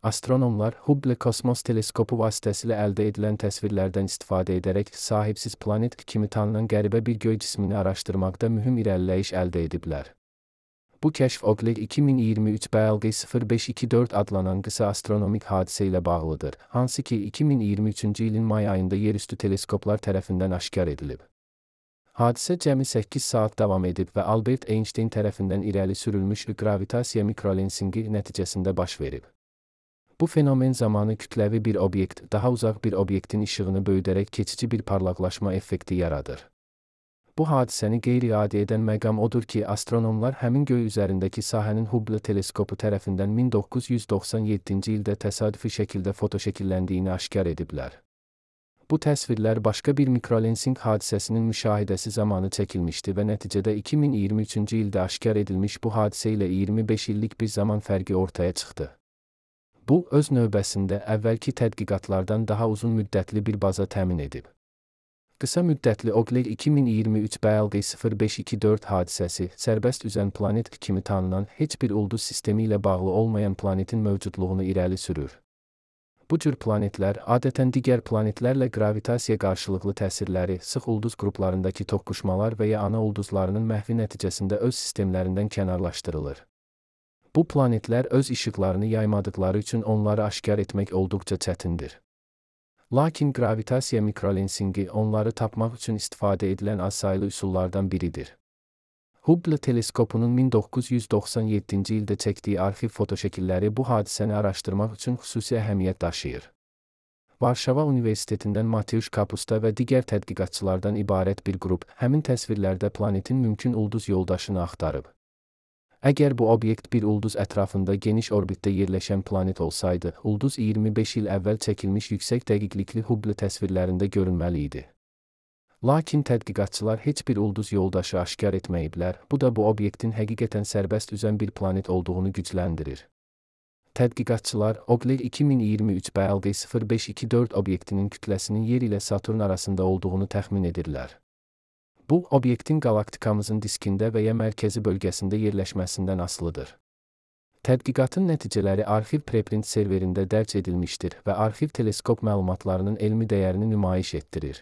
Astronomlar Hubble kosmos teleskopu vasitəsilə əldə edilən təsvirlərdən istifadə edərək sahibsiz planet kimi tanınan qəribə bir göy cismini araşdırmaqda mühüm irəliləyiş əldə ediblər. Bu kəşf Oqlet 2023 BLG0524 adlanan qısa astronomik hadisə ilə bağlıdır, hansı ki 2023-cü ilin may ayında yerüstü teleskoplar tərəfindən aşkar edilib. Hadisə cəmi 8 saat davam edib və Albert Einstein tərəfindən irəli sürülmüş qravitasiya mikrolensinqi nəticəsində baş verib. Bu fenomen zamanı kütləvi bir obyekt, daha uzaq bir obyektin işığını böyüdərək keçici bir parlaqlaşma effekti yaradır. Bu hadisəni qeyri-adi edən məqam odur ki, astronomlar həmin göy üzərindəki sahənin Hubble teleskopu tərəfindən 1997-ci ildə təsadüfi şəkildə fotoşəkilləndiyini aşkar ediblər. Bu təsvirlər başqa bir mikrolensing hadisəsinin müşahidəsi zamanı çəkilmişdi və nəticədə 2023-cü ildə aşkar edilmiş bu hadisə ilə 25 illik bir zaman fərqi ortaya çıxdı. Bu, öz növbəsində əvvəlki tədqiqatlardan daha uzun müddətli bir baza təmin edib. Qısa müddətli Oqlet 2023 BLG0524 hadisəsi, sərbəst üzən planet kimi tanınan heç bir ulduz sistemi ilə bağlı olmayan planetin mövcudluğunu irəli sürür. Bu cür planetlər adətən digər planetlərlə qravitasiya qarşılıqlı təsirləri, sıx ulduz qruplarındakı toqquşmalar və ya ana ulduzlarının məhvi nəticəsində öz sistemlərindən kənarlaşdırılır. Bu planetlər öz işıqlarını yaymadıqları üçün onları aşkar etmək olduqca çətindir. Lakin qravitasiya mikrolensinqi onları tapmaq üçün istifadə edilən azsaylı üsullardan biridir. Hubble teleskopunun 1997-ci ildə çəkdiyi arxiv fotoşəkilləri bu hadisəni araşdırmaq üçün xüsusi əhəmiyyət daşıyır. Varşava Universitetindən Mateusz Kapusta və digər tədqiqatçılardan ibarət bir qrup həmin təsvirlərdə planetin mümkün ulduz yoldaşını axtarıb. Əgər bu obyekt bir ulduz ətrafında geniş orbitdə yerləşən planet olsaydı, ulduz 25 il əvvəl çəkilmiş yüksək dəqiqlikli Hubble təsvirlərində görünməli idi. Lakin tədqiqatçılar heç bir ulduz yoldaşı aşkar etməyiblər, bu da bu obyektin həqiqətən sərbəst üzən bir planet olduğunu gücləndirir. Tədqiqatçılar Oqlet 2023 BLG0524 obyektinin kütləsinin Yer ilə Saturn arasında olduğunu təxmin edirlər. Bu, obyektin qalaktikamızın diskində və ya mərkəzi bölgəsində yerləşməsindən asılıdır. Tədqiqatın nəticələri arxiv preprint serverində dərc edilmişdir və arxiv teleskop məlumatlarının elmi dəyərini nümayiş etdirir.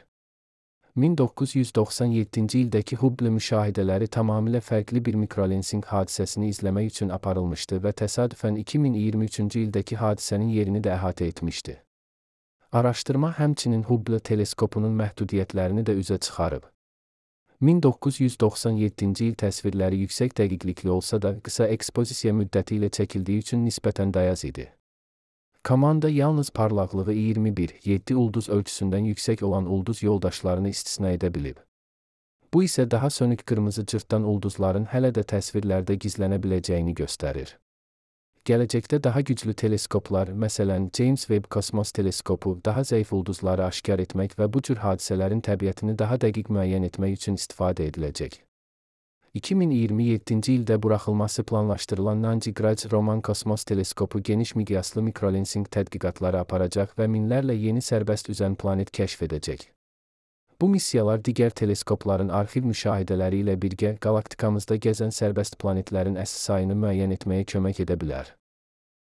1997-ci ildəki Hubble müşahidələri tamamilə fərqli bir mikrolensing hadisəsini izləmək üçün aparılmışdı və təsadüfən 2023-cü ildəki hadisənin yerini də əhatə etmişdi. Araşdırma həmçinin Hubble teleskopunun məhdudiyyətlərini də üzə çıxarıb. 1997-ci il təsvirləri yüksək dəqiqlikli olsa da, qısa ekspozisiya müddəti ilə çəkildiyi üçün nisbətən dayaz idi. Komanda yalnız parlaqlığı 21-7 ulduz ölçüsündən yüksək olan ulduz yoldaşlarını istisna edə bilib. Bu isə daha sönük qırmızı cırtdan ulduzların hələ də təsvirlərdə gizlənə biləcəyini göstərir. Gələcəkdə daha güclü teleskoplar, məsələn James Webb kosmos teleskopu, daha zəif ulduzları aşkar etmək və bu cür hadisələrin təbiətini daha dəqiq müəyyən etmək üçün istifadə ediləcək. 2027-ci ildə buraxılması planlaşdırılan Nanjigraj Roman kosmos teleskopu geniş miqyaslı mikrolensing tədqiqatları aparacaq və minlərlə yeni sərbəst üzən planet kəşf edəcək. Bu missiyalar digər teleskopların arxiv müşahidələri ilə birgə qalaktikamızda gəzən sərbəst planetlərin əsas sayını müəyyən etməyə kömək edə bilər.